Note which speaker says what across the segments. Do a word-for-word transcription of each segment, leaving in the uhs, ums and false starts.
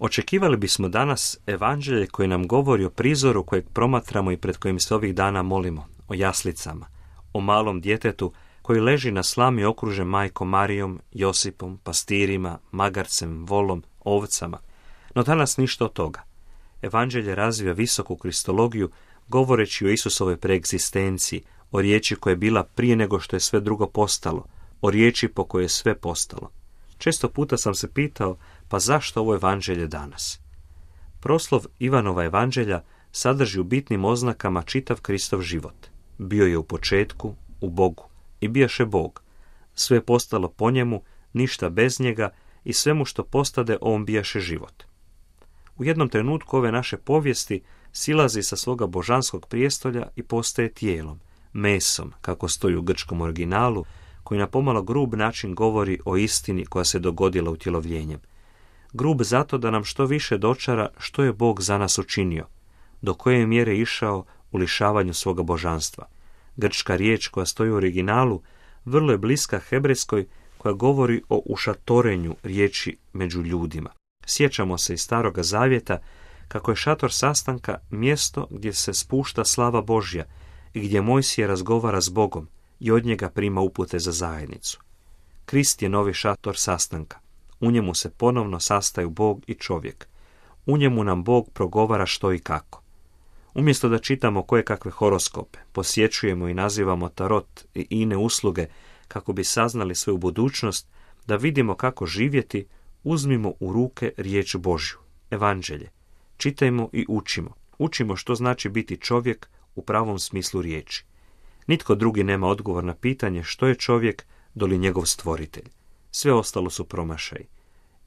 Speaker 1: Očekivali bismo danas evanđelje koje nam govori o prizoru kojeg promatramo i pred kojim se ovih dana molimo, o jaslicama, o malom djetetu koji leži na slami okružen majkom Marijom, Josipom, pastirima, magarcem, volom, ovcama. No danas ništa od toga. Evanđelje razvija visoku kristologiju, govoreći o Isusovoj preegzistenciji, o riječi koja je bila prije nego što je sve drugo postalo, o riječi po kojoj je sve postalo. Često puta sam se pitao, pa zašto ovo evanđelje danas? Proslov Ivanova evanđelja sadrži u bitnim oznakama čitav Kristov život. Bio je u početku, u Bogu, i bijaše Bog. Sve je postalo po njemu, ništa bez njega, i svemu što postade on bijaše život. U jednom trenutku ove naše povijesti silazi sa svoga božanskog prijestolja i postaje tijelom, mesom, kako stoji u grčkom originalu, koji na pomalo grub način govori o istini koja se dogodila utjelovljenjem. Grub zato da nam što više dočara što je Bog za nas učinio, do koje je mjere išao u lišavanju svoga božanstva. Grčka riječ koja stoji u originalu vrlo je bliska hebrejskoj koja govori o ušatorenju riječi među ljudima. Sjećamo se iz Staroga zavjeta kako je šator sastanka mjesto gdje se spušta slava Božja i gdje Mojsije razgovara s Bogom i od njega prima upute za zajednicu. Krist je novi šator sastanka. U njemu se ponovno sastaju Bog i čovjek. U njemu nam Bog progovara što i kako. Umjesto da čitamo koje kakve horoskope, posjećujemo i nazivamo tarot i ine usluge kako bi saznali svoju budućnost, da vidimo kako živjeti, uzmimo u ruke riječ Božju, evanđelje. Čitajmo i učimo. Učimo što znači biti čovjek u pravom smislu riječi. Nitko drugi nema odgovor na pitanje što je čovjek doli njegov stvoritelj. Sve ostalo su promašaji.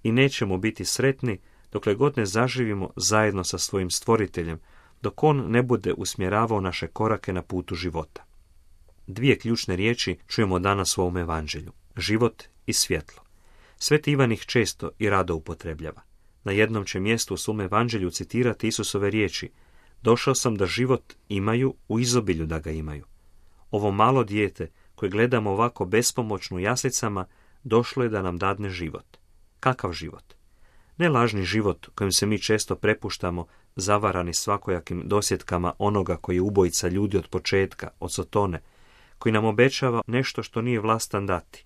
Speaker 1: I nećemo biti sretni dokle god ne zaživimo zajedno sa svojim stvoriteljem, dok on ne bude usmjeravao naše korake na putu života. Dvije ključne riječi čujemo danas u ovom evanđelju. Život i svjetlo. Sveti Ivan ih često i rado upotrebljava. Na jednom će mjestu u svom evanđelju citirati Isusove riječi: došao sam da život imaju u izobilju da ga imaju. Ovo malo dijete koje gledamo ovako bespomoćno u jaslicama došlo je da nam dadne život. Kakav život? Ne lažni život kojim se mi često prepuštamo, zavarani svakojakim dosjetkama onoga koji je ubojica ljudi od početka, od Sotone, koji nam obećava nešto što nije vlastan dati.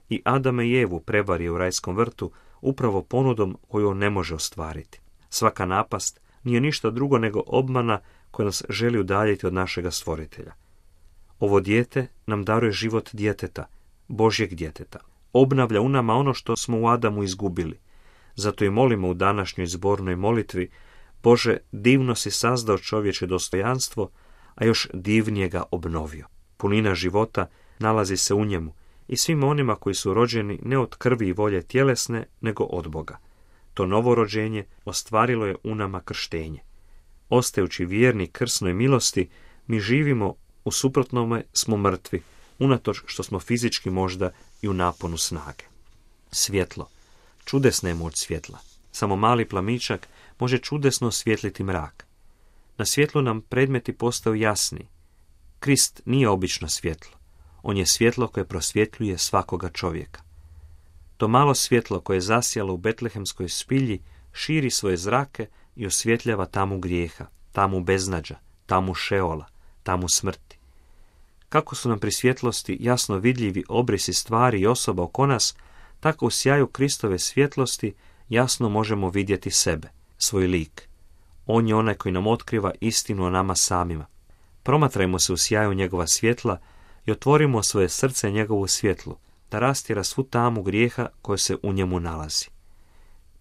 Speaker 1: I Adama i Evu prevario u rajskom vrtu upravo ponudom koju on ne može ostvariti. Svaka napast nije ništa drugo nego obmana koja nas želi udaljiti od našega stvoritelja. Ovo dijete nam daruje život djeteta, Božjeg djeteta. Obnavlja u nama ono što smo u Adamu izgubili. Zato i molimo u današnjoj zbornoj molitvi: Bože, divno si sazdao čovječe dostojanstvo, a još divnije ga obnovio. Punina života nalazi se u njemu i svima onima koji su rođeni ne od krvi i volje tjelesne, nego od Boga. To novo rođenje ostvarilo je u nama krštenje. Ostajući vjerni krsnoj milosti, mi živimo, u suprotnome smo mrtvi, unatoč što smo fizički možda i u naponu snage. Svjetlo. Čudesna je moć svjetla. Samo mali plamičak može čudesno osvijetliti mrak. Na svjetlu nam predmeti postaju jasni. Krist nije obično svjetlo. On je svjetlo koje prosvjetljuje svakoga čovjeka. To malo svjetlo koje je zasjalo u betlehemskoj spilji širi svoje zrake i osvjetljava tamu grijeha, tamu beznađa, tamu šeola, tamu smrti. Kako su nam pri svjetlosti jasno vidljivi obrisi stvari i osoba oko nas, tako u sjaju Kristove svjetlosti jasno možemo vidjeti sebe, svoj lik. On je onaj koji nam otkriva istinu o nama samima. Promatrajmo se u sjaju njegova svjetla i otvorimo svoje srce njegovu svjetlu, da rastjera svu tamu grijeha koja se u njemu nalazi.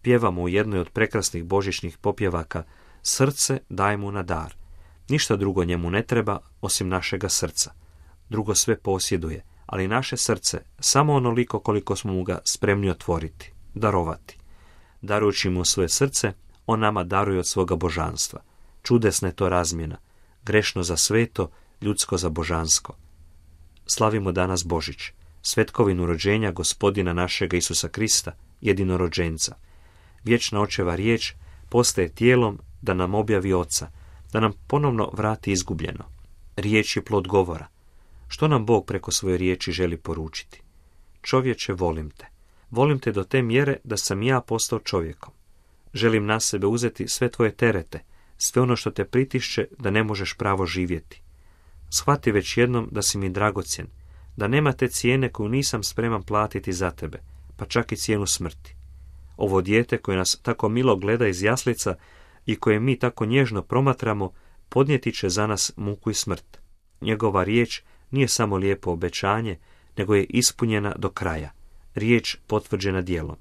Speaker 1: Pjevamo u jednoj od prekrasnih božićnih popjevaka: srce daj mu na dar. Ništa drugo njemu ne treba osim našega srca. Drugo sve posjeduje, ali naše srce samo onoliko koliko smo mu ga spremni otvoriti, darovati. Darujući mu svoje srce, on nama daruje od svoga božanstva. Čudesna je to razmjena, grešno za sveto, ljudsko za božansko. Slavimo danas Božić, svetkovinu rođenja Gospodina našega Isusa Krista, jedinorođenca. Vječna očeva riječ postaje tijelom da nam objavi Oca, da nam ponovno vrati izgubljeno. Riječ je plod govora. Što nam Bog preko svoje riječi želi poručiti? Čovječe, volim te. Volim te do te mjere da sam ja postao čovjekom. Želim na sebe uzeti sve tvoje terete, sve ono što te pritišće da ne možeš pravo živjeti. Shvati već jednom da si mi dragocjen, da nema te cijene koju nisam spreman platiti za tebe, pa čak i cijenu smrti. Ovo dijete koje nas tako milo gleda iz jaslica i koje mi tako nježno promatramo, podnijeti će za nas muku i smrt. Njegova riječ nije samo lijepo obećanje, nego je ispunjena do kraja. Riječ potvrđena djelom.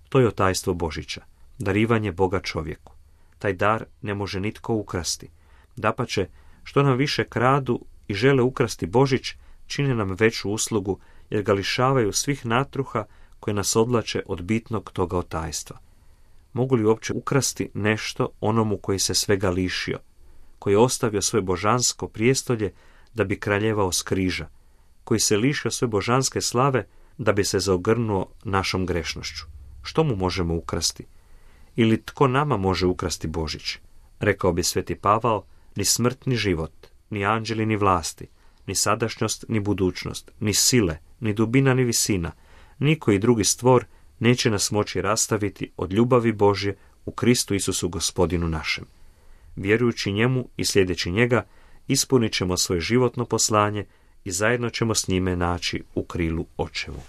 Speaker 1: To je otajstvo Božića, darivanje Boga čovjeku. Taj dar ne može nitko ukrasti. Dapače, što nam više kradu i žele ukrasti Božić, čine nam veću uslugu, jer ga lišavaju svih natruha koje nas odvlače od bitnog toga otajstva. Mogu li uopće ukrasti nešto onomu koji se svega lišio, koji je ostavio svoje božansko prijestolje da bi kraljevao s križa, koji se lišio svoje božanske slave da bi se zaogrnuo našom grešnošću? Što mu možemo ukrasti? Ili tko nama može ukrasti Božić? Rekao bi sveti Pavao, ni smrt ni život, ni anđeli ni vlasti, ni sadašnjost ni budućnost, ni sile, ni dubina ni visina, niko i drugi stvor neće nas moći rastaviti od ljubavi Božje u Kristu Isusu Gospodinu našem. Vjerujući njemu i sljedeći njega, ispunit ćemo svoje životno poslanje i zajedno ćemo s njime naći u krilu Očevu.